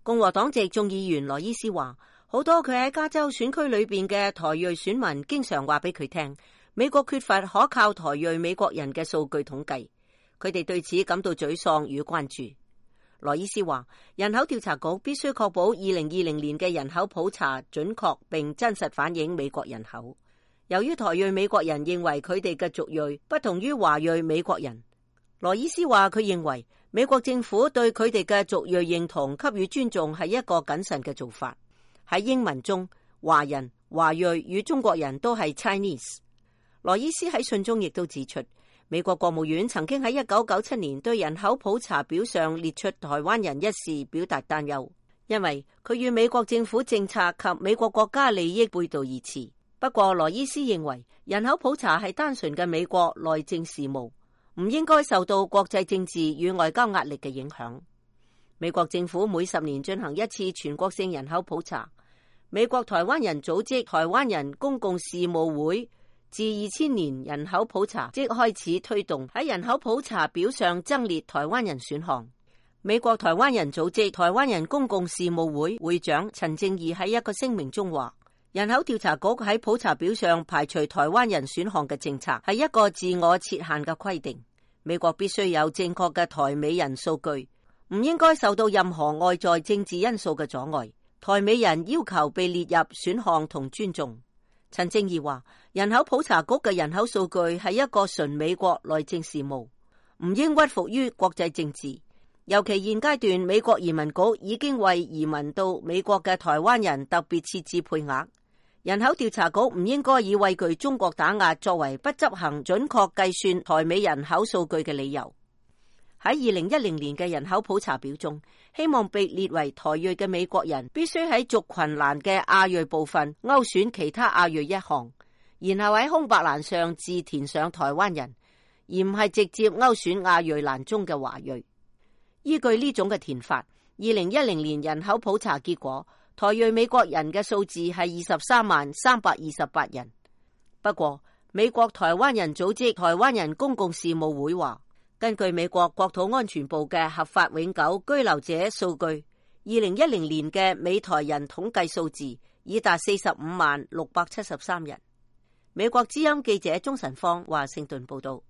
共和黨籍眾議員羅伊斯話，好多佢喺加州選區裏邊嘅台裔選民經常話俾佢聽，美國缺乏可靠台裔美國人嘅數據統計，佢哋對此感到沮喪與關注。羅伊斯話，人口調查局必須確保2020年嘅人口普查準確並真實反映美國人口。由於台裔美國人認為佢哋嘅族裔不同於華裔美國人，羅伊斯話佢認為美國政府對佢哋嘅族裔認同給予尊重係一個謹慎嘅做法。喺英文中，華人、華裔與中國人都係 Chinese。羅伊斯喺信中亦都指出，美國國務院曾經喺1997年對人口普查表上列出台灣人一事表達擔憂，因為佢與美國政府政策及美國國家利益背道而馳。不過羅伊斯認為人口普查係單純嘅美國內政事務，唔應該受到國際政治與外交壓力嘅影響。美國政府每10年進行一次全國性人口普查。美國台灣人組織台灣人公共事務會自2000年人口普查即開始推動喺人口普查表上增列台灣人選項。美國台灣人組織台灣人公共事務會會長陳正義喺一個聲明中話，人口調查局喺普查表上排除台灣人選項嘅政策係一個自我設限嘅規定。美國必須有正確嘅台美人數據，唔應該受到任何外在政治因素嘅阻礙。台美人要求被列入選項同尊重。陳正義話，人口普查局嘅人口數據係一個純美國內政事務，唔應屈服於國際政治。尤其現階段，美國移民局已經為移民到美國嘅台灣人特別設置配額。人口調查局唔應該以畏懼中國打壓作為不執行準確計算台美人口數據嘅理由。喺2010年嘅人口普查表中，希望被列為台裔嘅美國人必須喺族群欄嘅亞裔部分勾選其他亞裔一項，然後喺空白欄上自填上台灣人，而唔係直接勾選亞裔欄中嘅華裔。依據呢種嘅填法，2010年人口普查結果，台裔美國人嘅數字係23,328人。不過，美國台灣人組織台灣人公共事務會話，根據美國國土安全部嘅合法永久居留者數據，2010年嘅美台人統計數字已達45,673人。美國之音記者鍾晨芳華盛頓報道。